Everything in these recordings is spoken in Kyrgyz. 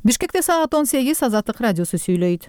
Бишкекте саат 18 Азаттык радиосу сүйлөйт.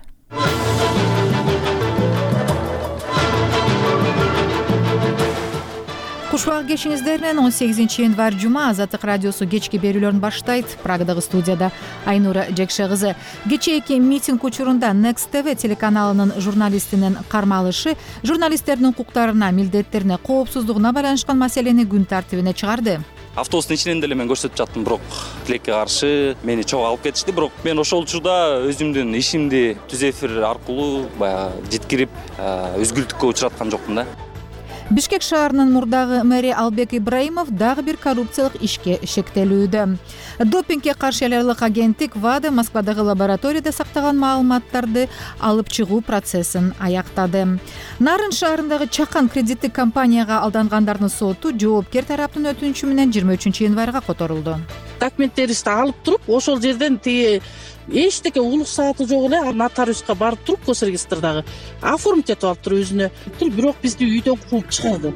Кушбак кешиңиздеринен 18-январь жума Азаттык радиосу кечки берүүлөрүн баштайт. Прагадагы студияда Айнура Жекше кызы. Кечээки митинг учурунда Next TV телеканалынын журналистинин кармалышы журналисттердин укуктарына, милдеттерине, коопсуздугуна байланышкан маселени күн тартибине чыгарды. Автобустун ичинен деле мен көрсөтүп жаттым, бирок тилекке каршы мени чогуу алып кетишти. Бирок мен ошол учурда өзүмдүн ишимди түз эфир аркылуу баягы жеткирип, үзгүлтүккө учураткан жокмун да. Бишкек шаарынын мурдагы мэри Албек Ибраимов дагы бир коррупциялык ишке шектелүүдө. Допингге каршы элдик агенттик ВАДА Москвадагы лабораторияда сактаган маалыматтарды алып чыгуу процессин аяктады. Нарын шаарындагы Чакан кредиттик компанияга алдангандардын соту жоопкер тараптын өтүнүчү менен 23-январга которулду. Документтерибизди алып туруп, ошол жерден тиги эчтеке улук сааты жок эле нотариуска барып туруп, госрегистрдагы оформить этип алып туруп өзүнө, бирок бизди үйдөн кууп чыгарды.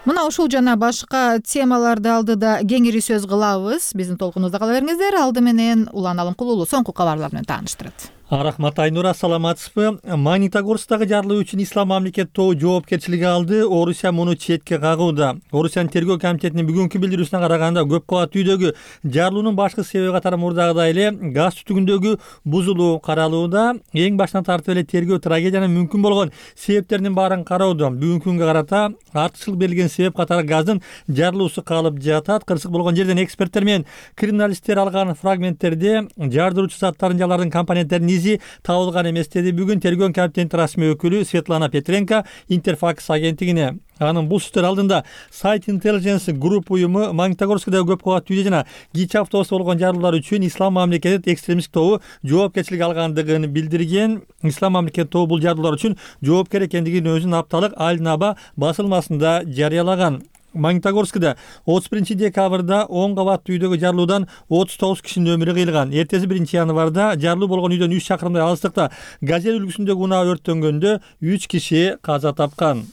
Мына ушул жана башка темаларды алдыда кеңири сөз кылабыз. Биздин толкунубузда кала бериңиздер. Алды менен Улан Алымкулуулу соңку кабарлар менен тааныштырат. Рахмат Айнура, саламатсызбы? Магнитогорскдагы жарылуу үчүн Ислам мамлекет тобу жоопкерчилиги алды. Орусия муну четке кагууда. Орусиянын тергөө комитетинин бүгүнкү билдирүүсүнө караганда көп кабаттуу үйдөгү жарылуунун башкы себеби катары мурдагыдай эле газ түтүгүндөгү бузулуу каралууда. Эң башынан тартып эле тергөө трагедиянын мүмкүн болгон себептеринин баарын кароодо. Бүгүнкү күнгө карата артыкчылык берилген себеп катары газдын жарылуусу калып жатат. Кырсык болгон жерден эксперттер менен криминалисттер алган фрагменттерде жардыруучу заттардын же алардын компоненттеринин табылган эмес деди бүгүн тергөө комитетинин расмий өкүлү Светлана Петренко Интерфакс агенттигине. Анын бул сөздөр алдында Сайт Intelligence Group уюму Магнитогорскдагы көп кабаттуу үйдө жана кичи автобуста болгон жарылуулар үчүн Ислам мамлекети экстремисттик тобу жоопкерчилик алгандыгын билдирген. Ислам мамлекети тобу бул жарылуулар үчүн жоопкер экендигин өзүнүн апталык Аль-Наба басылмасында жарыялаган. Магнитогорскда 31 декабрда 10 кабаттуу үйдөгү жарылуудан 39 кишинин өмүрү кыйылган. Эртеси 1 январда жарылуу болгон үйдөн 3 чакырымдай алыстыкта Газель үлгүсүндөгү унаа өрттөнгөндө 3 киши каза тапкан.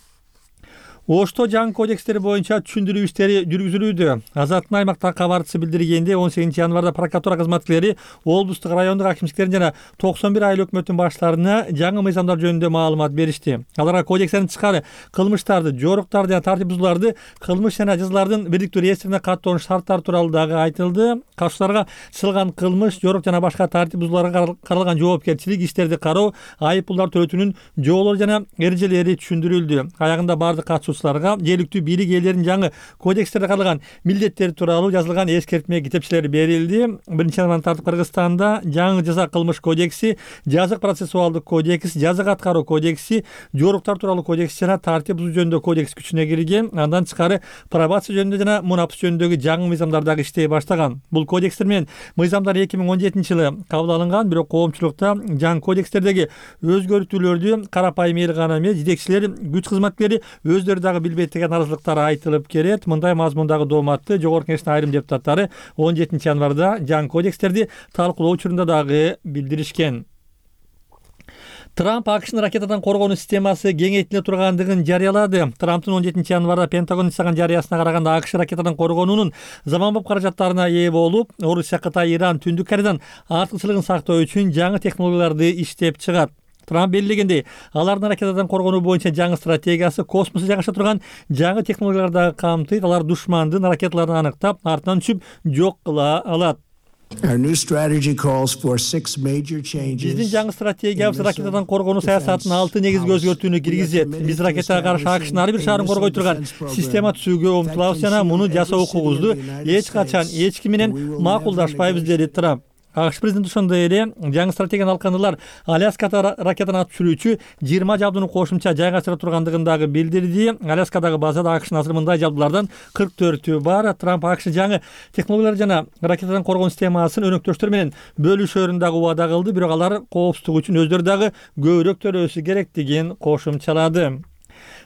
Ошто жаңы кодекстери боюнча түшүндүрүү иштери жүргүзүлүүдө. Азаттын аймактагы кабарчысы билдиргенде 18 январда прокуратура кызматкерлери облустук райондук акимчиликтердин жана 91 айыл өкмөттүн баштарына жаңы мыйзамдар жөнүндө маалымат беришти. Аларга кодекстен тышкары кылмыштарды, жоруктарды жана тартип бузууларды кылмыш жана жазалардын бириктүү реестрине каттоонун шарттары тууралуу дагы айтылды. Катышууларга чыгылган кылмыш, жорук жана башка тартип бузууларга каралган жоопкерчилик, иштерди кароо, айып пулдар төлөтүүнүн жолдору жана эрежелери түшүндүрүлдү. Аягында бардык катышуучуларга жергиликтүү бийлик ээлеринин жаңы кодекстерде каралган милдеттери тууралуу жазылган эскертме китепчелери берилди. 1-январдан тартып Кыргызстанда жаңы жаза кылмыш кодекси, жазык процессуалдык кодекс, жазык аткаруу кодекси, жоруктар тууралуу кодекс жана тартип бузуу жөнүндө кодекс күчүнө кирген. Андан тышкары пробация жөнүндө жана мунапс жөнүндөгү жаңы мыйзамдар дагы иштей баштаган. Бул кодекстер менен мыйзамдар 2017-жылы кабыл алынган, бирок коомчулукта жаңы кодекстердеги өзгөртүүлөрдү карапайым эл гана эмес, жетекчилер, күч кызматкерлери өздөрү дагы билбейт деген наразылыктар айтылып келет. Мындай мазмундагы дооматты жогорку кеңештин айрым депутаттары 17 январда жаңы кодекстерди талкуулоо учурунда дагы билдиришкен. Трамп АКШнын ракетадан коргонуу системасы кеңейтиле тургандыгын жарыялады. Трамптын 17 январда Пентагон жасаган жарыясына караганда АКШ ракетадан коргонуунун заманбап каражаттарына ээ болуп, Орусия, Кытай, Иран, Түндүк Кореядан артыкчылыгын сактоо үчүн жаңы технологияларды иштеп чыгат. Трамп белгилегендей, алардын ракетадан коргонуу боюнча жаңы стратегиясы космосто жайгаша турган жаңы технологияларды камтыйт. Алар душмандын ракеталарын аныктап, артынан түшүп жок кыла алат. Биздин жаңы стратегиябыз ракетадан коргонуу саясатынын 6 негизги өзгөртүүнү киргизет. Биз ракетага каршы АКШнын ар бир шаарын коргой турган система түзүүгө умтулабыз жана муну жасоо укугубузду эч качан эч ким менен макулдашпайбыз, деди Трамп. АКШ президенти ошондой эле жаңы стратегияны алкандылар Аляскада ракетаны атып түшүрүүчү 20 жабдууну кошумча жайгаштыра тургандыгын дагы билдирди. Аляскадагы базада АКШнын азыр мындай жабдуулардан 44 бар. Трамп АКШ жаңы технологиялар жана ракетадан коргонуу системасын өнөктөштөр менен бөлүшөрүн дагы убада кылды, бирок алар коопсуздук үчүн өздөрү дагы көбүрөөк төлөөсү керектигин кошумчалады.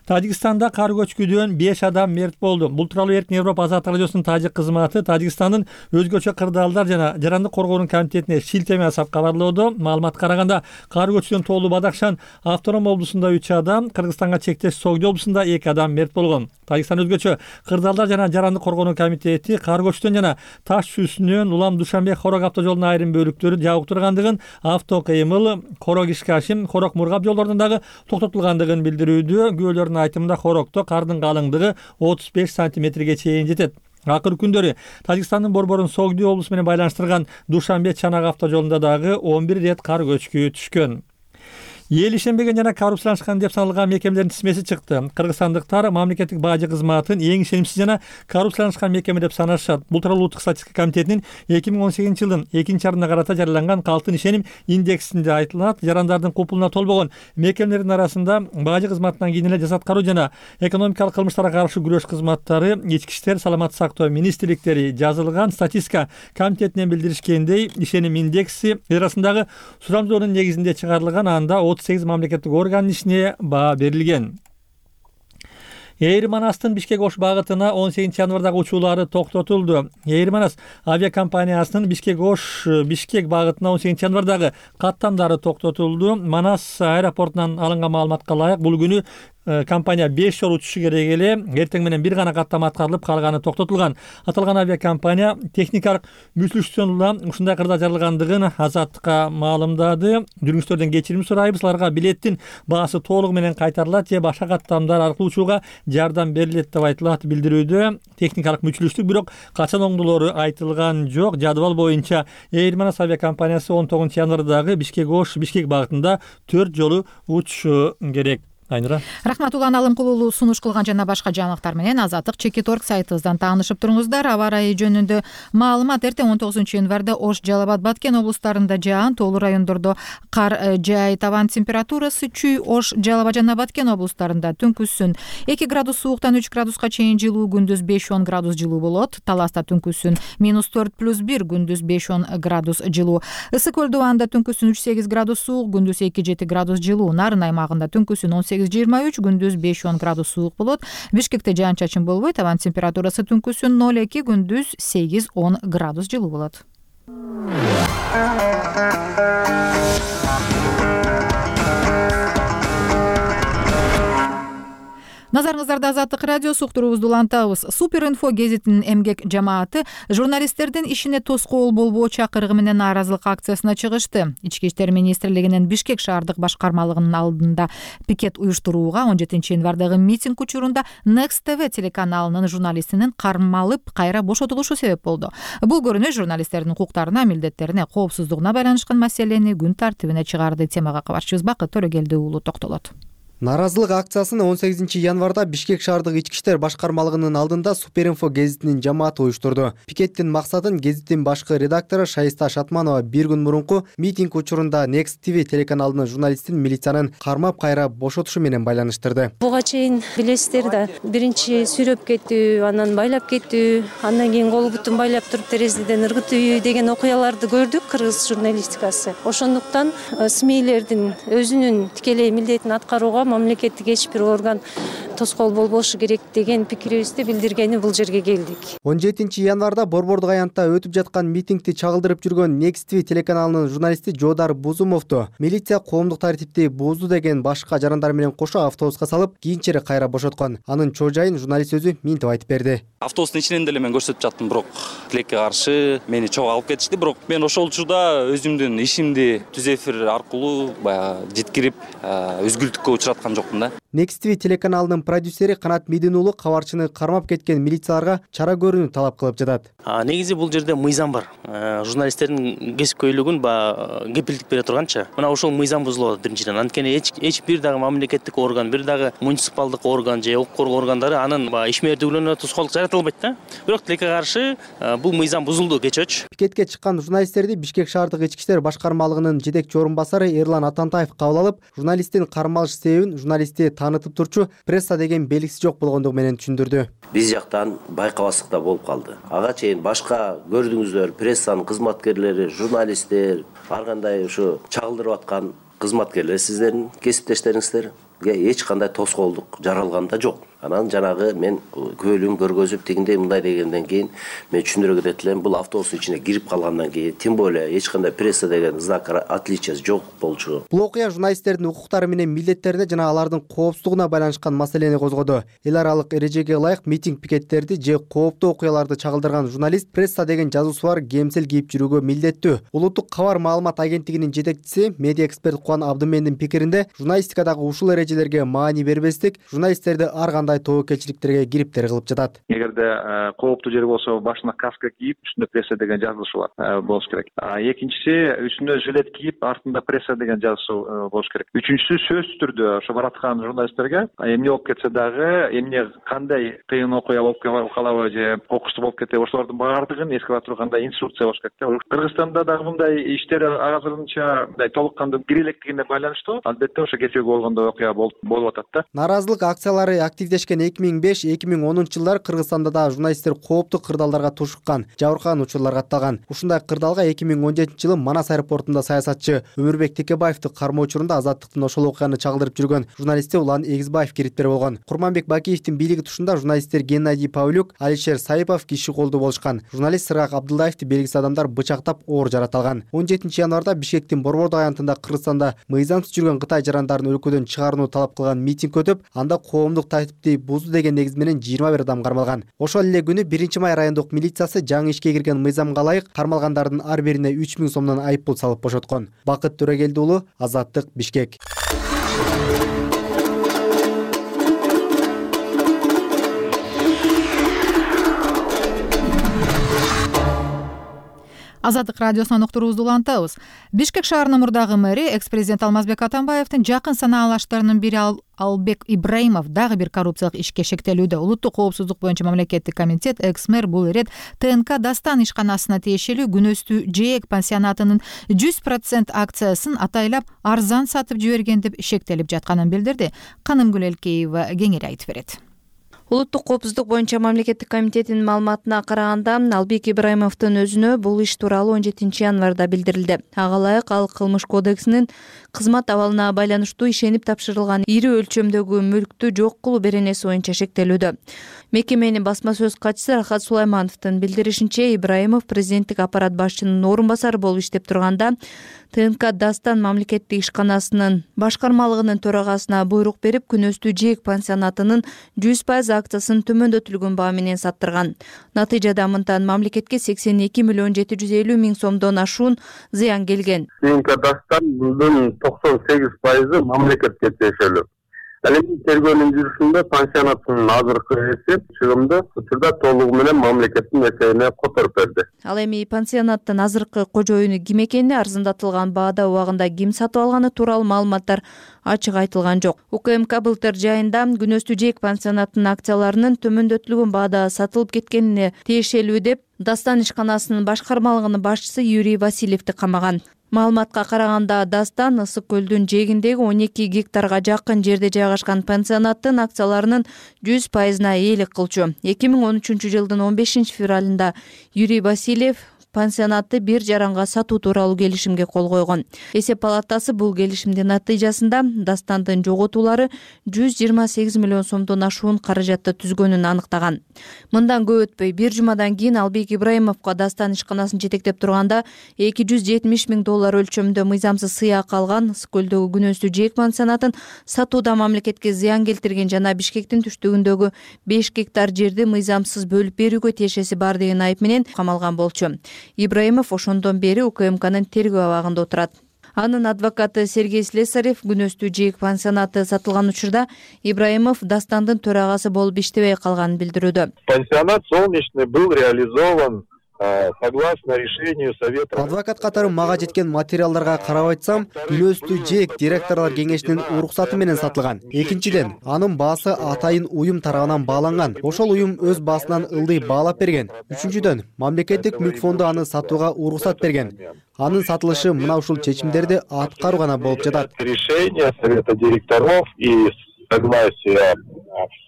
Тажикстанда кар көчкүдөн 5 адам мерт болду. Бул тууралуу Эркин Европа азаттык радиосунун тажик кызматы Тажикстандын өзгөчө кырдаалдар жана жарандык коргоонун комитетине шилтеме жасап кабарлоодо. Маалыматка караганда, кар көчкүдөн тоолуу Бадахшан автоном облусунда 3 адам, Кыргызстанга чектеш Согди облусунда 2 адам мерт болгон. Тажикстан өзгөчө кырдаалдар жана жарандык коргоонун комитети кар көчкүдөн жана Таш чүсүнөн Улам Душанбе Хорок автожолунун айрым бөлүктөрү жабык тургандыгын, авто кыймыл Хорок Ишкашим, Хорок Мургап жолдорунун дагы токтотулгандыгын билдирүүдө. Күбөлөрдүн айтымында Хорокто кардын калыңдыгы 35 сантиметрге чейин жетет. Акыр күндөрү Тажикстандын борборун Согди облусу менен байланыштырган Душанбе Чанак автожолунда дагы 11 рет кар көчкү түшкөн. Эл ишенбеген жана коррупцияланышкан деп саналган мекемелердин тизмеси чыкты. Кыргызстандыктар мамлекеттик бажы кызматын эң ишенимсиз жана коррупцияланышкан мекеме деп санашат. Бул тууралуу Улуттук статистика комитетинин 2018-жылдын 2-арына карата жарыяланган калктын ишеним индексинде айтылат. Жарандардын купулуна толбогон мекемелердин арасында бажы кызматынан кийин эле жас аткаруу жана экономикалык кылмыштарга каршы күрөш кызматтары, ички иштер, саламаттык сактоо министрликтери жазылган. Статистика комитетинен билдиришкендей, ишеним индекси арасындагы сурамжоонун негизинде чыгарылган. Анда 38 мамлекеттик органдын ишине баа берилген. Эйр Манастын Бишкек Ош багытына 18 январдагы учуулары токтотулду. Эйр Манас авиакомпаниясынын Бишкек Ош Бишкек багытына 18 январдагы каттамдары токтотулду. Манас аэропортунан алынган маалыматка ылайык, бул күнү компания 5 жолу учушу керек эле. Эртең менен бир гана каттама аткарылып, калганы токтотулган. Аталган авиакомпания техникалык мүчүлүштөн улам ушундай кырдаал жарылгандыгын Азаттыкка маалымдады. Жүргүчүлөрдөн кечирим сурайбыз, аларга билеттин баасы толугу менен кайтарылат же башка каттамдар аркылуу учууга жардам берилет деп айтылат билдирүүдө. Техникалык мүчүлүштүк бирок качан оңдолору айтылган жок. Жадыбал боюнча Эйр Манас авиакомпаниясы 19 январдагы Бишкек Ош Бишкек багытында 4 жолу учушу керек. Рахмат, Улан Алымкулуулу сунуш кылган жана башка жаңылыктар менен Азаттык Чекит.орг сайтыбыздан таанышып туруңуздар. Аба ырайы жөнүндө маалымат: эртең 19 январда Ош, Жалал Абад, Баткен облустарында жаан, тоолуу райондордо кар жай, табан температурасы чүй. Ош, Жалал Абад жана Баткен облустарында түнкүсүн 2 градус сууктан 3 градуска чейин жылуу, күндүз 5-10 градус жылуу болот. Таласта түнкүсүн -4+1, күндүз 5-10 градус жылуу. Ысык көл дубанда түнкүсүн 3-8 градус суук, күндүз 2-7 градус жылуу. Нарын аймагында түнкүсүн 18-23, күндүз 5-10 градус суук болот. Бишкекте жаан-чачын болбойт, табан температурасы түнкүсүн 0-2, күндүз 8-10 градус жылуу болот. Назарыңыздарда Азаттык радиосу, уктуруубузду улантабыз. Супер инфо гезитинин эмгек жамааты журналисттердин ишине тоскоол болбоо чакырыгы менен нааразылык акциясына чыгышты. Ички иштер министрлигинин Бишкек шаардык башкармалыгынын алдында пикет уюштурууга 17 январдагы митинг учурунда Next TV телеканалынын журналистинин кармалып кайра бошотулушу себеп болду. Бул көрүнүш журналисттердин укуктарына, милдеттерине, коопсуздугуна байланышкан маселени күн тартибине чыгарды. Темага кабарчыбыз Бакыт Төрөгелди уулу токтолот. Нааразылык акциясын 18 январда Бишкек шаардык ички иштер башкармалыгынын алдында Суперинфо гезитинин жамааты уюштурду. Пикеттин максатын гезиттин башкы редактору Шайиста Шатманова бир күн мурунку митинг учурунда Next TV телеканалынын журналистин милициянын кармап кайра бошотушу менен байланыштырды. Буга чейин билесиздер да, биринчи сүйрөп кетүү, анан байлап кетүү, андан кийин кол бутун байлап туруп терезеден ыргытуу деген окуяларды көрдүк кыргыз журналистикасы. Ошондуктан СМИлердин өзүнүн тикелей милдетин аткарууга мамлекеттик эч бир орган тоскоол болбошу керек деген пикирибизди билдиргени бул жерге келдик. 17 январда Борбордук аянтта өтүп жаткан митингди чагылдырып жүргөн Next TV телеканалынын журналисти Жодар Бузумовду милиция коомдук тартипти бузду деген башка жарандар менен кошо автобуска салып, кийинчерээк кайра бошоткон. Анын чоо жайын журналист өзү минтип айтып берди. Автобустун ичинен деле мен көрсөтүп жаттым, бирок тилекке каршы мени чогуу алып кетишти. Бирок мен ошол учурда өзүмдүн ишимди түз эфир аркылуу баягы жеткирип, үзгүлтүккө учураткан жокмун да. Next TV телеканалынын продюсери Канат Медин уулу кабарчыны кармап кеткен милицияларга чара көрүүнү талап кылып жатат. Негизи бул жерде мыйзам бар. Журналисттердин кесипкөйлүгүн кепилдик бере турганча, мына ошол мыйзам бузулат биринчиден. Анткени эч бир дагы мамлекеттик орган, бир дагы муниципалдык орган же укук коргоо органдары анын ишмердүүлүгүнө тоскоолдук жаратылбайт да. Бирок тилекке каршы бул мыйзам бузулду кечөөчү. Пикетке чыккан журналисттерди Бишкек шаардык ички иштер башкармалыгынын жетекчи орун басары Эрлан Атантаев кабыл алып, журналисттин кармалыш себебин журналистти таанытып турчу пресса деген белгиси жок болгондугу менен түшүндүрдү. Биз жактан байкабастыкта болуп калды. Ага чейин башка көрдүңүздөр, прессанын кызматкерлери, журналисттер, ар кандай ушу чагылдырып аткан кызматкерлер сиздердин кесиптештериңиздер. эч кандай тоскоолдук жаралган да жок. Анан жанагы мен күбөлүн көргөзүп тигиндей мындай дегенден кийин мен түшүндүрө кетет элем, бул автобустун ичине кирип калгандан кийин тем более эч кандай пресса деген знак отличия жок болчу. Бул окуя журналисттердин укуктары менен милдеттерине жана алардын коопсуздугуна байланышкан маселени козгоду. Эл аралык эрежеге ылайык митинг пикеттерди же кооптуу окуяларды чагылдырган журналист пресса деген жазуусу бар кемсел кийип жүрүүгө милдеттүү. Улуттук кабар маалымат агенттигинин жетекчиси, медиа эксперт Кубан Абдымендин пикиринде, журналистикадагы ушул эрежелерге маани бербестик журналисттерди ар кандай тобокелчиликтерге кириптер кылып жатат. Эгерде кооптуу жер болсо башына каска кийип, үстүндө пресса деген жазылышы бар болуш керек. Экинчиси үстүнө жилет кийип, артында пресса деген жазуу болуш керек. Үчүнчүсү сөзсүз түрдө ошо бараткан журналисттерге эмне болуп кетсе дагы, эмне кандай кыйын окуя болуп калабы же кокустуу болуп кетеби, ошолордун баардыгын эске ала тургандай инструкция болуш керек. Кыргызстанда дагы мындай иштер азырынча мындай толук кандуу кире электерине байланыштуу, албетте ошо кечеги болгондой окуя болуп атат да. Наразылык акциялары активдешкен 2005-2010 жылдар Кыргызстанда да журналисттер кооптуу кырдаалдарга тушуккан, жабыркаган учурлар катталган. Ушундай кырдаалга 2017-жылы Манас аэропортунда саясатчы Өмүрбек Текебаевди кармоо учурунда Азаттыктын ошол окуяны чагылдырып жүргөн журналисти Улан Эгизбаев кириптер болгон. Курманбек Бакиевдин бийлиги тушунда журналисттер Геннадий Павлюк, Алишер Саипов киши колдуу болушкан. Журналист Сыргак Абдуллаевди белгисиз адамдар бычактап оор жараталган. 17 январда Бишкектин Борбордук аянтында Кыргызстанда мыйзамсыз жүргөн Кытай жарандарын өлкөдөн чыгарууну талап кылган митинг өтүп, анда коомдук тартипти бузду деген негиз менен 21 адам кармалган. Ошол эле күнү 1-май райондук милициясы жаңы ишке кирген мыйзамга ылайык кармалгандардын ар бирине 3000 сомдон айыппул салып бошоткон. Бакыт Төрөгелди уулу, Азаттык, Бишкек. Азаттык радиосунан уктуруубузду улантабыз. Бишкек шаарынын мурдагы мэри экс-президент Алмазбек Атамбаевдин жакын санаалаштарынын бири Албек Ибраимов дагы бир коррупциялык ишке шектелүүдө. Улуттук коопсуздук боюнча мамлекеттик комитет экс-мэр бул ирет ТНК Дастан ишканасына тиешелүү Күнөстүү Жээк пансионатынын 100% акциясын атайлап арзан сатып жиберген деп шектелип жатканын билдирди. Канымгүл Элкеева кеңири айтып берет. Улуттук коопсуздук боюнча мамлекеттик комитетинин маалыматына караганда, Албек Ибраимовдун өзүнө бул иш тууралуу 17 январда билдирилди. Ага ылайык ал кылмыш кодексинин кызмат абалына байланыштуу ишенип тапшырылган ири өлчөмдөгү мүлктү жок кылуу беренеси боюнча шектелүүдө. Мекеменин басма сөз катчысы Рахат Сулаймановдун билдиришинче, Ибраимов президенттик аппарат башчынын орун басары болуп иштеп турганда, ТНК Дастан мамлекеттик ишканасынын башкармалыгынын төрагасына буйрук берип, Күнөстүү Жээк пансионатынын 100% акциясын төмөндөтүлгөн баа менен саттырган. Натыйжада мынтан мамлекетке 82.750.000 сомдон ашуун зыян келген. ТНК Дастандын 98% мамлекетке тиешелүү. Ал эми тергөөнүн жүрүшүндө пансионаттын азыркы эсеп чыгымды учурда толугу менен мамлекеттин эсебине которуп берди. Ал эми пансионаттын азыркы кожоюну ким экени, арзандатылган баада убагында ким сатып алганы тууралуу маалыматтар ачык айтылган жок. УКМК былтыр жайында Күнөстүү Жээк пансионатынын акцияларынын төмөндөтүлгөн баада сатылып кеткенине тиешелүү деп Дастан ишканасынын башкармалыгынын башчысы Юрий Васильевди камаган. Маалыматка караганда, Дастан Ысык көлдүн жээгиндеги 12 гектарга жакын жерде жайгашкан пансионаттын акцияларынын 100%-на ээлик кылчу. 2013 жылдын 15 февралында Юрий Васильев пансионатты бир жаранга сатуу тууралуу келишимге кол койгон. Эсеп палатасы бул келишимдин натыйжасында Дастандын жоготуулары 128 миллион сомдон ашуун каражатты түзгөнүн аныктаган. Мындан көп өтпөй, бир жумадан кийин Албек Ибраимовго Дастан ишканасын жетектеп турганда $270.000 өлчөмдө мыйзамсыз сыйак алган, Ысык көлдөгү Күнөстүү Жээк пансионатын сатууда мамлекетке зыян келтирген жана Бишкектин түштүгүндөгү 5 гектар жерди мыйзамсыз бөлүп берүүгө тиешеси бар деген айып менен камалган болчу. Ибраимов ошондон бери УКМКнын тергөө абагында отурат. Анын адвокаты Сергей Слесарев Күнөстүү Жээк пансионаты сатылган учурда Ибраимов Дастандын төрагасы болуп иштебей калганын билдирүүдө. Пансионат солнечный был реализован согласно решению Совета. Адвокат катары мага жеткен материалдарга карап айтсам, Күнөстүү Жээк директорлор кеңешинин уруксаты менен сатылган. Экинчиден, анын баасы атайын уюм тарабынан бааланган. Ошол уюм өз баасынан ылдый баалап берген. Үчүнчүдөн, мамлекеттик мүлк фонду аны сатууга уруксат берген. Анын сатылышы мына ушул чечимдерди аткаруу гана болуп жатат. Решение Совета директоров и согласие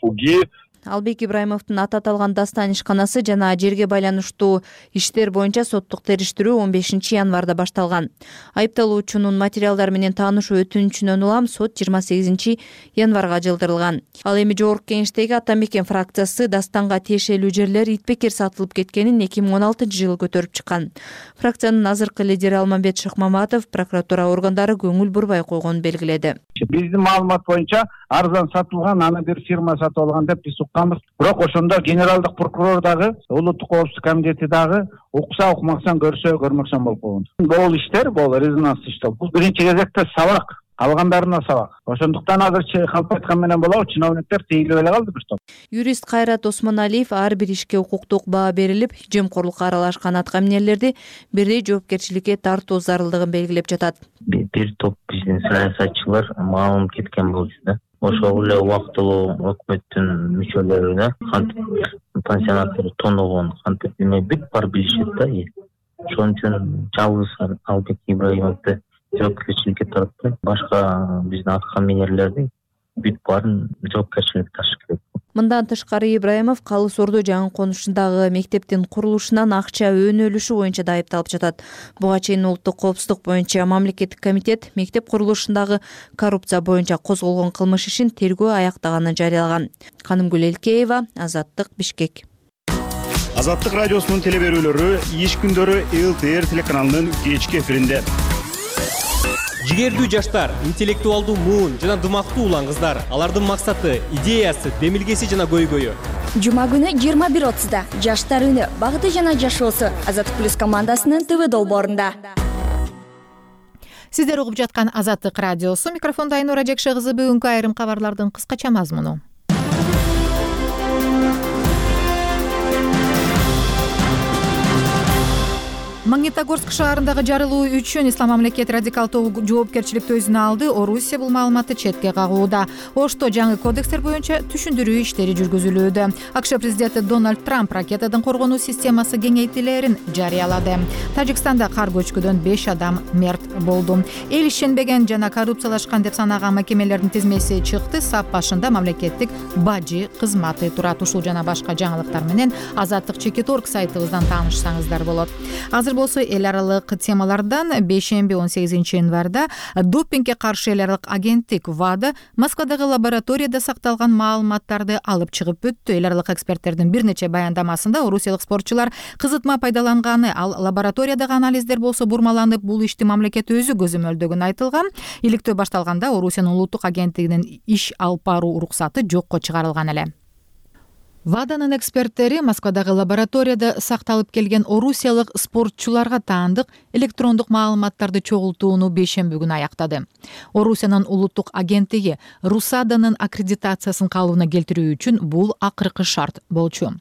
ФУГИ Албек Ибраимовдун аты аталган дастан ишканасы жана жерге байланыштуу иштер боюнча соттук териштирүү 15 январда башталган. Айыпталуучунун материалдары менен таанышуу өтүнүчүнөн улам сот 28 январга жылдырылган. Ал эми жогорку кеңештеги Ата Мекен фракциясы дастанга тиешелүү жерлер итбекер сатылып кеткенин 2016 жылы көтөрүп чыккан. Фракциянын азыркы лидери Алмамбет Шыкмаматов прокуратура органдары көңүл бурбай койгонун белгиледи. Биздин маалымат боюнча арзан сатылган, аны бир фирма сатып алган деп биз укканбыз. Бирок ошондо генералдык прокурор дагы, улуттук коопсуздук комитети дагы укса укмаксан, көрсө көрмөксөн болуп койгон. Бул иштер, бул резонанс иштер. Бул биринчи кезекте сабак, калгандарына сабак. Ошондуктан азырчы калп айткан менен болобу, чиновниктер тийилип эле калды бир топ. Юрист Кайрат Осмоналиев ар бир ишке укуктук баа берилип, жемкорлукка аралашкан аткаминерлерди бирдей жоопкерчиликке тартуу зарылдыгын белгилеп жатат. Бир топ биздин саясатчылар маалым кеткен болчу да. Ошол эле убактылуу өкмөттүн мүчөлөрүнө кантип пансионаттар тоногон, кантип эме бүт бар билишет да. Ошон үчүн жалгыз Албек Ибраимовду жоопкерчиликке тартпай, башка биздин аткаминерлерди бүт баарын жоопкерчиликке тартыш керек. Мындан тышкары Ибраимов Калыс Ордо жаңы конушундагы мектептин курулушунан акча өнүлүшү боюнча да айыпталып жатат. Буга чейин улуттук коопсуздук боюнча мамлекеттик комитет мектеп курулушундагы коррупция боюнча козголгон кылмыш ишин тергөө аяктаганын жарыялаган. Канымгүл Элкеева, Азаттык, Бишкек. Азаттык радиосунун теле берүүлөрү иш күндөрү ЛТР телеканалынын кечки эфиринде. Жигердүү жаштар, интеллектуалдуу муун жана дымактуу улан кыздар. Алардын максаты, идеясы, демилгеси жана көйгөйү. Жума күнү 21:30да Жаштар үнү, багыты жана жашоосу Азаттык плюс командасынын ТВ долбоорунда. Сиздер угуп жаткан Азаттык радиосу, микрофонда Айнура Жекше кызы. Бүгүнкү айрым кабарлардын кыскача мазмуну. Магнитогорск шаарындагы жарылуу үчүн Ислам мамлекет радикалдуу жоопкерчиликти өзүнө алды. Орусия бул маалыматты четке кагууда. Ошто жаңы кодекстер боюнча түшүндүрүү иштери жүргүзүлүүдө. АКШ президенти Дональд Трамп ракетадан коргонуу системасы кеңейтилерин жарыялады. Тажикстанда кар көчкүдөн 5 адам мерт болду. Эл ишенбеген жана коррупциялашкан деп санаган мекемелердин тизмеси чыкты. Сап башында мамлекеттик бажы кызматы турат. Ушул жана башка жаңылыктар менен Азаттык.org сайтыбыздан таанышсаңыздар болот. Азыр болсо эл аралык темалардан бейшемби 18 январда допингге каршы эл аралык агенттик ВАДА Москвадагы лабораторияда сакталган маалыматтарды алып чыгып өттү. Эл аралык эксперттердин бир нече баяндамасында орусиялык спортчулар кызытма пайдаланганы, ал лабораториядагы анализдер болсо бурмаланып, бул ишти мамлекет өзү көзөмөлдөгөнү айтылган. Иликтөө башталганда Орусиянын улуттук агенттигинин иш алып баруу уруксаты жокко чыгарылган эле. ВАДАнын эксперттери Москвадагы лабораторияда сакталып келген орусиялык спортчуларга таандык электрондук маалыматтарды чогултууну бейшемби күнү аяктады. Орусиянын улуттук агенттиги РУСАДАнын аккредитациясын калыбына келтирүү үчүн бул акыркы шарт болчу.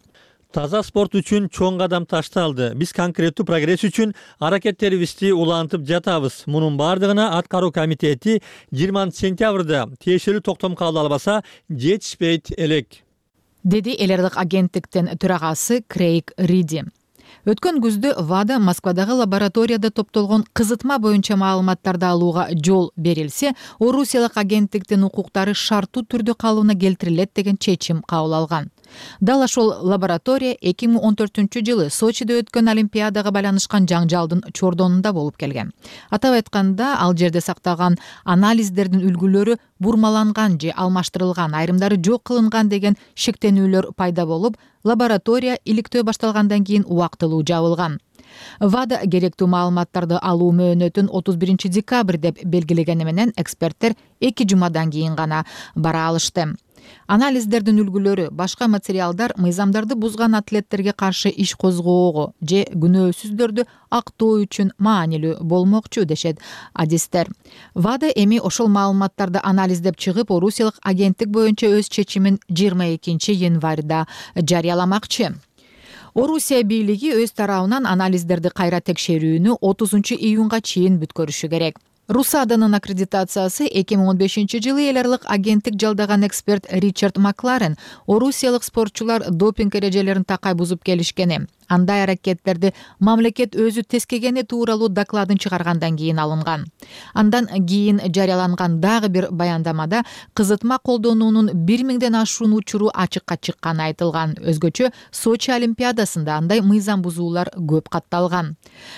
Таза спорт үчүн чоң кадам ташталды. Биз конкреттүү прогресс үчүн аракеттерибизди улантып жатабыз. Мунун бардыгына аткаруу комитети 20 сентябрда тиешелүү токтом кабыл албаса жетишпейт элек, деди эл аралык агенттиктин төрагасы Крейг Риди. Өткөн күздө ВАДА Москвадагы лабораторияда топтолгон кызытма боюнча маалыматтарды алууга жол берилсе, орусиялык агенттиктин укуктары шарттуу түрдө калыбына келтирилет деген чечим кабыл алган. Дал ошол лаборатория 2014-жылы Сочиде өткөн Олимпиадага байланышкан жаңжалдын чордонунда болуп келген. Атап айтканда, ал жерде сакталган анализдердин үлгүлөрү бурмаланган же алмаштырылган, айрымдары жок кылынган деген шектенүүлөр пайда болуп, лаборатория иликтөө башталгандан кийин убактылуу жабылган. ВАДА керектүү маалыматтарды алуу мөөнөтүн 31 декабрь деп белгилегени менен эксперттер 2 жумадан кийин гана бара алышты. Анализдердин үлгүлөрү башка материалдар мыйзамдарды бузган атлеттерге каршы иш козгоого же күнөөсүздөрдү актоо үчүн маанилүү болмокчу дешет адистер. ВАДА эми ошол маалыматтарды анализдеп чыгып, орусиялык агенттик боюнча өз чечимин 22 январда жарыяламакчы. Орусия бийлиги өз тарабынан анализдерди кайра текшерүүнү 30 июнга чейин бүткөрүшү керек. РУСАДАнын аккредитациясы 2015 жылы эл аралык агенттик жалдаган эксперт Ричард Макларен орусиялык спортчулар допинг эрежелерин такай бузуп келишкени, Андай аракеттерди мамлекет өзү тескегени тууралуу докладын чыгаргандан кийин алынган. Андан кийин жарыяланган дагы бир баяндамада кызытма колдонуунун 1000ден ашуун учуру ачыкка чыкканы айтылган. Өзгөчө Сочи олимпиадасында андай мыйзам бузуулар көп катталган.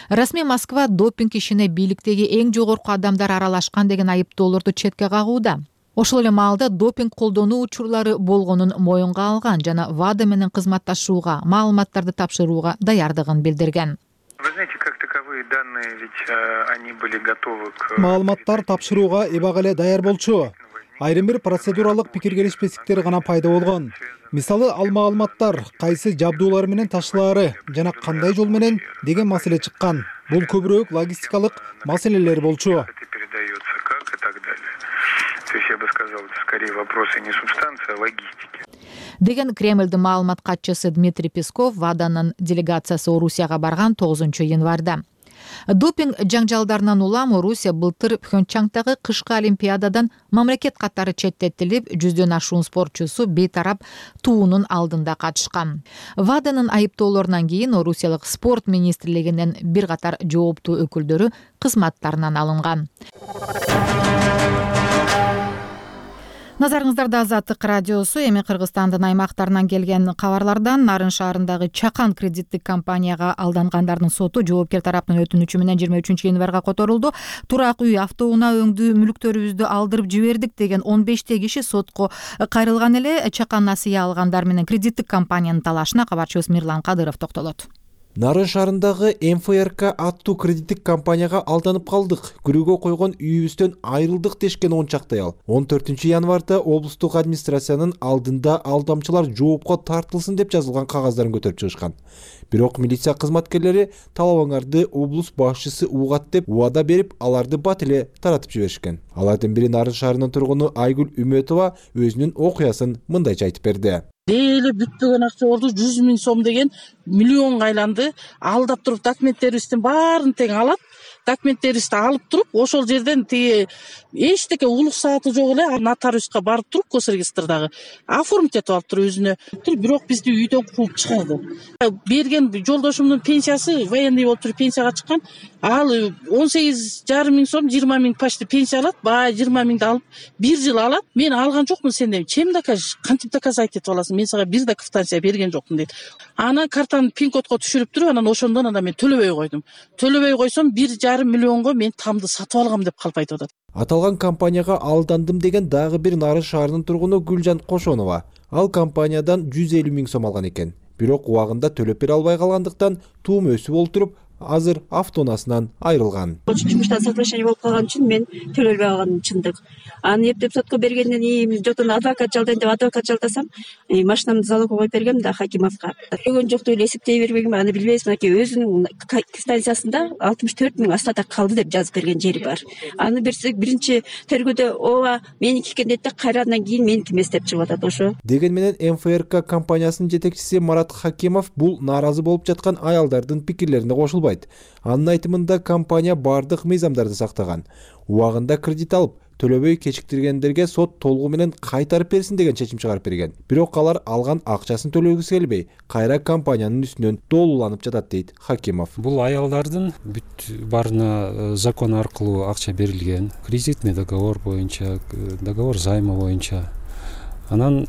Расмий Москва допинг ишине бийликтеги эң жогорку адамдар аралашкан деген айыптоолорду четке кагууда. Ошол эле маалда допинг колдонуу учурлары болгонун моюнга алган жана ВАДА менен кызматташууга, маалыматтарды тапшырууга даярдыгын билдирген. Вы знаете, как таковые данные, ведь они были готовы к... Маалыматтар тапшырууга эбак эле даяр болчу. Айрым бир процедуралык пикир келишпестиктер гана пайда болгон. Мисалы, ал маалыматтар кайсы жабдуулар менен ташылаары жана кандай жол менен деген маселе чыккан. Бул көбүрөөк логистикалык маселелер болчу. То есть я бы сказал, это скорее вопросы не субстанции, а логистики. Деген Кремльдин маалымат катчысы Дмитрий Песков ВАДАнын делегациясы Орусияга барган 9-январда. Допинг жаңжалдарынан улам Орусия былтыр Пхенчхангдагы кышкы олимпиададан мамлекет катары четтетилип, 100дөн ашуун спортчусу бейтарап туунун алдында катышкан. ВАДАнын айыптоолорунан кийин Орусиялык спорт министрлигинин бир катар жооптуу өкүлдөрү кызматтарынан алынган. Назарыңыздарда Азаттык радиосу. Эми Кыргызстандын аймактарынан келген кабарлардан Нарын шаарындагы Чакан кредиттик компанияга алдангандардын соту жоопкер тараптын өтүнүчү менен 23-январга которулду. Турак үй, автоунаа өңдүү мүлктөрүбүздү алдырып жибердик деген 15 киши сотко кайрылган эле. Чакан насыя алгандар менен кредиттик компаниянын талашына кабарчыбыз Мирлан Кадыров токтолот. Нарын шаарындагы МФРК аттуу кредиттик компанияга алданып калдык. Күрөөгө койгон үйүбүздөн айрылдык дешкен 10 чактай ал. 14-январда облустук администрациянын алдында алдамчылар жоопко тартылсын деп жазылган кагаздарын көтөрүп чыгышкан. Бирок милиция кызматкерлери талабыңарды облус башчысы угат деп убада берип, аларды бат эле таратып жиберишкен. Алардын бири Нарын шаарынын тургуну Айгүл Үмөтова өзүнүн окуясын мындайча айтып берди. Эле бүтпөгөн акчаларды 100 000 сом деген миллионга айланды. Алдап туруп документтерибиздин баарын тең алат. Документтерибизди алып туруп, ошол жерден тиги эчтеке улук сааты жок эле нотариуска барып туруп Госрегистрдагы оформить этип алып туруп өзүнө. Бирок бизди үйдөн кууп чыгарды. Берген жолдошумдун пенсиясы военный болуп туруп пенсияга чыккан. Ал 18,5 миң сом, 20 миң почти пенсия алат. Баа 20 миңди алып 1 жыл алат. Мен алган жокмун сенден. Чем докажешь? Кантип доказать этип аласың? Мен сага бир да квитанция берген жокмун дейт. Ана картаны пин-кодко түшүрүп туруп, анан ошондон мен төлөбөй койдум. Төлөбөй койсом 1,5 миллионго мен тамды сатып алгам деп калып айтып атат. Аталган компанияга алдандым деген дагы бир Нарын шаарынын тургуну Гүлжан Кошонова. Ал компаниядан 150 миң сом алган экен. Бирок убагында төлөп бере албай калгандыктан туум өсүп олтуруп, азыр автоунаасынан айрылган. Жумуштан соглашение болуп калган үчүн мен төлөбөй алганым чындык. Аны эптеп сотко бергенден кийин жотон адвокат жалдайм деп адвокат жалдасам, машинамды залогко коюп бергем да Хакимовго. Төлөгөн жок деп эсептей бергем, аны билбейбиз. Мынакей өзүнүн квитанциясында 64 миң астада калды деп жазып берген жери бар. Аны берсек биринчи тергөөдө ооба меники экен дейт да, кайрадан кийин меники эмес деп чыгып атат ошо. Деген менен МФРК компаниясынын жетекчиси Марат Хакимов бул нааразы болуп жаткан аялдардын пикирлерине кошулбайт. Анын айтымында компания бардык мыйзамдарды сактаган. Убагында кредит алып, төлөбөй кечиктиргендерге сот толугу менен кайтарып берсин деген чечим чыгарып берген. Бирок алар алган акчасын төлөгүсү келбей, кайра компаниянын үстүнөн долууланып жатат дейт Хакимов. Бул аялдардын бүт барына закон аркылуу акча берилген, кредитный договор боюнча, договор займа боюнча. Анан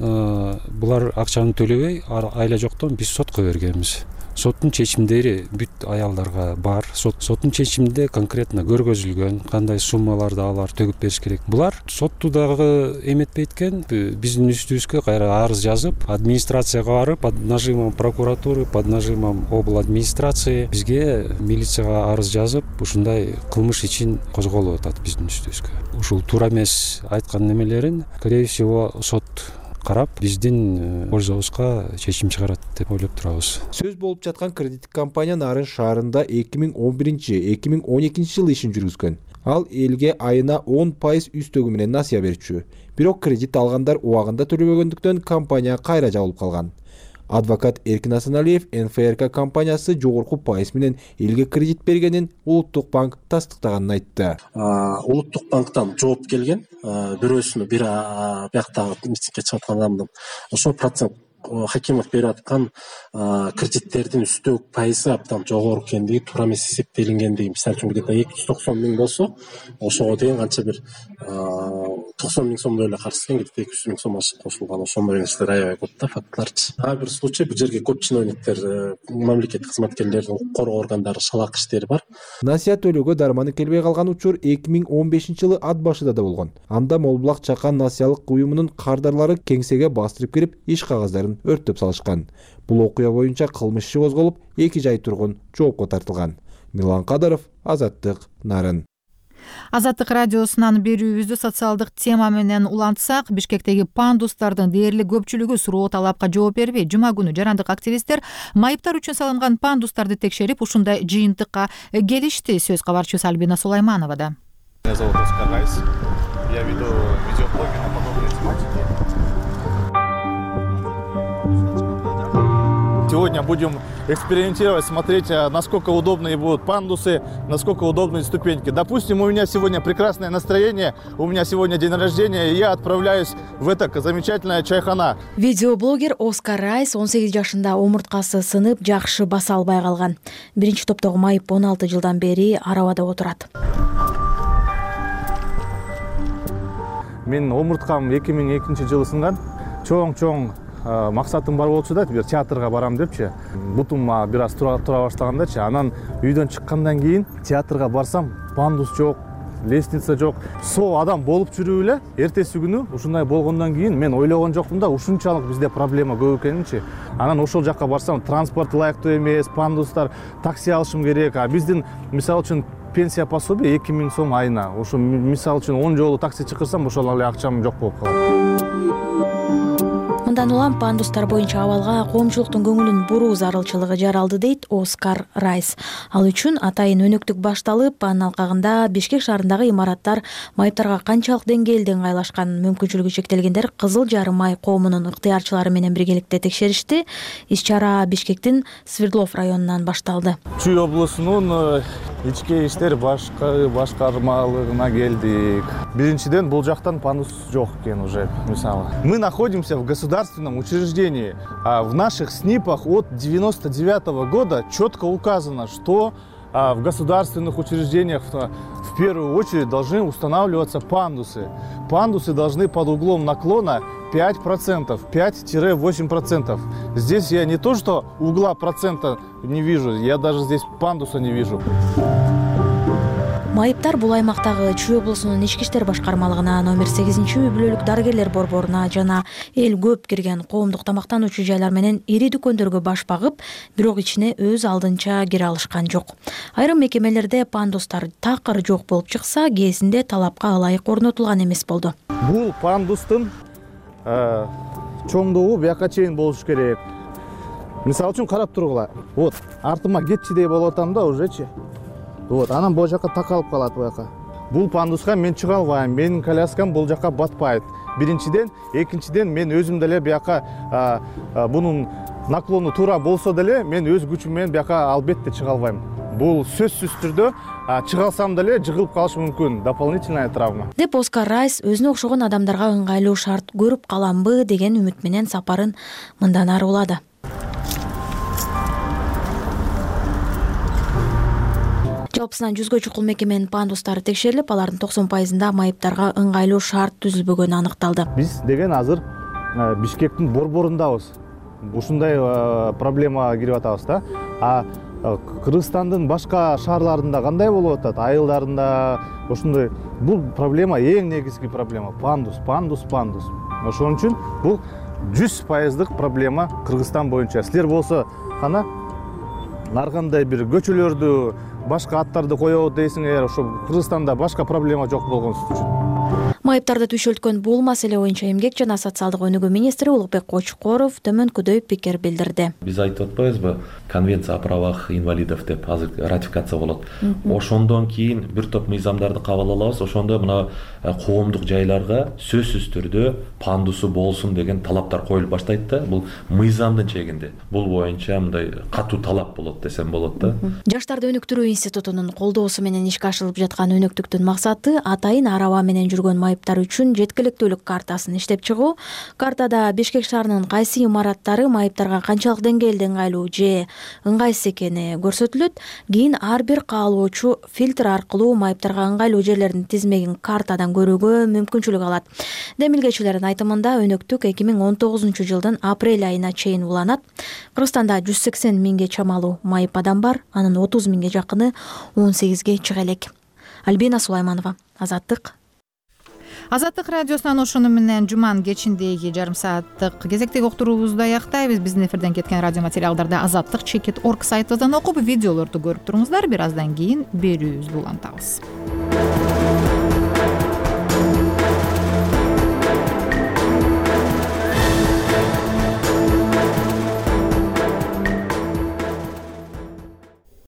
булар акчаны төлөбөй, айла жоктон биз сотко бергенбиз. Соттун чечимдери бүт аялдарга бар. Соттун чечиминде конкретно көргөзүлгөн кандай суммаларды алар төгүп бериш керек. Булар сотту дагы эметпейт экен, биздин үстүбүзгө кайра арыз жазып, администрацияга барып, под нажимом прокуратуры, под нажимом обл администрации бизге милицияга арыз жазып, ушундай кылмыш ичин козголуп атат биздин үстүбүзгө. Ушул туура эмес айткан немелерин, скорее всего, сот карап, биздин пользобузга чечим чыгарат деп ойлоп турабыз. Сөз болуп жаткан кредиттик компания Нарын шаарында 2011-2012 жылы ишин жүргүзгөн. Ал элге айына 10% үстөгү менен насыя берчү. Бирок кредит алгандар убагында төлөбөгөндүктөн компания кайра жабылып калган. Адвокат Эркин Асаналиев НФРК компаниясы жогорку пайыз менен элге кредит бергенин Улуттук банк тастыктаганын айтты. Улуттук банктан жооп келген, бирөөсүнө бир бияктагы митингге чыгып аткан адамдын ошо процент Хакимов берип аткан кредиттердин үстөк пайызы абдан жогору экендиги, туура эмес эсептелингендиги, мисалы үчүн где-то 290 миң болсо, ошого деген канча бир 90 миң сомдой эле карыз экен, где-то 200 миң сом кошулган, ошондой нерселер аябай көп да, фактыларчы. Ар бир случай бул жерге көп чиновниктер, мамлекеттик кызматкерлердин укук коргоо органдары шалак иштери бар. Насият төлөөгө дарманы келбей калган учур 2015-жылы ат башыда да болгон. Анда Молбулак Чакан насыялык уюмунун кардарлары кеңсеге бастырып кирип, иш кагаздарын өрттөп салышкан. Бул окуя боюнча кылмыш иши козголуп, 2 жай тургун жоопко тартылган. Милан Кадыров, Азаттык, Нарын. Азаттык радиосунан берүүбүздү социалдык тема менен улантсак, Бишкектеги пандустардын дээрлик көпчүлүгү суроо талапка жооп бербей, жума күнү жарандык активисттер майыптар үчүн салынган пандустарды текшерип, ушундай жыйынтыкка келишти. Сөз кабарчыбыз Альбина Сулаймановада. Меня зовут Оскар Райс. Я веду видеоблоги на подобные тематики. Сегодня будем экспериментировать, смотреть, насколько удобные будут пандусы, насколько удобные ступеньки. Допустим, у меня сегодня прекрасное настроение, у меня сегодня день рождения, и я отправляюсь в это замечательное чайхана. Видеоблогер Оскар Райс 18 жашында омурткасы сынып, жакшы баса албай калган. Биринчи топтогу майып 16 жылдан бери арабада отурат. Мен омурткам 2002-жылы сынган. Чоң максатым бар болчу да, бир театрга барам депчи. Бутум бир аз тура баштагандачы. Анан үйдөн чыккандан кийин театрга барсам, пандус жок, лестница жок. Со адам болуп жүрүп эле, эртеси күнү ушундай болгондон кийин мен ойлогон жокмун да, ушунчалык бизде проблема көп экенинчи. Анан ошол жакка барсам, транспорт ылайыктуу эмес, пандустар, такси алышым керек. Биздин мисалы үчүн пенсия пособие 2000 сом айына. Ошо мисалы үчүн 10 жолу такси чакырсам, ошол эле акчам жок болуп калат. Мындан улам пандустар боюнча абалга коомчулуктун көңүлүн буруу зарылчылыгы жаралды, дейт Оскар Райс. Ал үчүн атайын өнөктүк башталып, анын алкагында Бишкек шаарындагы имараттар майыптарга канчалык деңгээлде ыңгайлашкан, мүмкүнчүлүгү чектелгендер Кызыл Жарым Май коомунун ыктыярчылары менен биргеликте текшеришти. Иш-чара Бишкектин Свердлов районунан башталды. Чүй облусунун ички иштер башкармалыгына келдик. Биринчиден, бул жактан пандус жок экен уже, мисалы. Мы находимся в государственном учреждении. В наших СНИПах от 1999 года четко указано, что в государственных учреждениях в первую очередь должны устанавливаться пандусы. Пандусы должны под углом наклона 5%, 5-8%. Здесь я не то, что угла процента не вижу, я даже здесь пандуса не вижу. Майыптар бул аймактагы Чүй облусунун ички иштер башкармалыгына, номер 8-үй бүлөлүк дарыгерлер борборуна жана эл көп кирген коомдук тамактануучу жайлар менен ири дүкөндөргө баш багып, бирок ичине өз алдынча кире алышкан жок. Айрым мекемелерде пандустар такыр жок болуп чыкса, кээсинде талапка ылайык орнотулган эмес болду. Бул пандустун чоңдугу бияка чейин болуш керек. Мисалы үчүн карап тургула. Вот, артыма кетчидей болуп атам да ужечи. Вот, анан бул жака такалып калат буяка. Бул пандуска мен чыга албайм, менин коляскам бул жака батпайт. Биринчиден, экинчиден мен өзүм деле бияка бунун наклону туура болсо деле мен өз күчүм менен бияка албетте чыга албайм. Бул сөзсүз түрдө чыга алсам деле жыгылып калышы мүмкүн, дополнительная травма. Деп Оскар Райс өзүнө окшогон адамдарга ыңгайлуу шарт көрүп каламбы деген үмүт менен сапарын мындан ары улады. Жалпысынан 100гө чукул мекеменин пандустары текшерилип, алардын 90%-ында майыптарга ыңгайлуу шарт түзүлбөгөнү аныкталды. Биз деген азыр Бишкектин борборундабыз. Ушундай проблема кирип атабыз да. Кыргызстандын башка шаарларында кандай болуп атат? Айылдарында ошондой. Бул проблема эң негизги проблема. Пандус. Ошон үчүн бул 100%дык проблема Кыргызстан боюнча. Силер болсо кана ар кандай бир көчөлөрдү, башка аттарды коебуз дейсиңер, ошо Кыргызстанда башка проблема жок болгон үчүн. Майыптарды түйшөлткөн бул маселе боюнча эмгек жана социалдык өнүгүү министри Улукбек Кочкоров төмөнкүдөй пикир билдирди. Биз айтып атпайбызбы, конвенция о правах инвалидов деп азыр ратификация болот. Ошондон кийин бир топ мыйзамдарды кабыл алабыз. Ошондо мына коомдук жайларга сөзсүз түрдө пандусу болсун деген талаптар коюлуп баштайт да. Бул мыйзамдын чегинде. Бул боюнча мындай катуу талап болот десем болот да. Жаштарды өнүктүрүү институтунун колдоосу менен ишке ашырылып жаткан өнөктүктүн максаты атайын араба менен жүргөн майыптар үчүн жеткиликтүүлүк картасын иштеп чыгуу. Картада Бишкек шаарынын кайсы имараттары майыптарга канчалык деңгээлде ыңгайлуу же ыңгайсыз экени көрсөтүлөт. Кийин ар бир каалоочу фильтр аркылуу майыптарга ыңгайлуу жерлердин тизмегин картадан көрүүгө мүмкүнчүлүк алат. Демилгечилердин айтымында өнөктүк 2019 жылдын апрель айына чейин уланат. Кыргызстанда 180 миңге чамалуу майып адам бар, анын 30 миңге жакыны 18ге чыга элек. Альбина Сулайманова, Азаттык. Азаттык радиосунан ошону менен жуманын кечиндеги жарым сааттык кезектеги уктуруубузду аяктайбыз. Биздин эфирден кеткен радио материалдарды azattik.org сайтыбыздан окуп, видеолорду көрүп туруңуздар. Бир аздан кийин берүүбүздү улантабыз.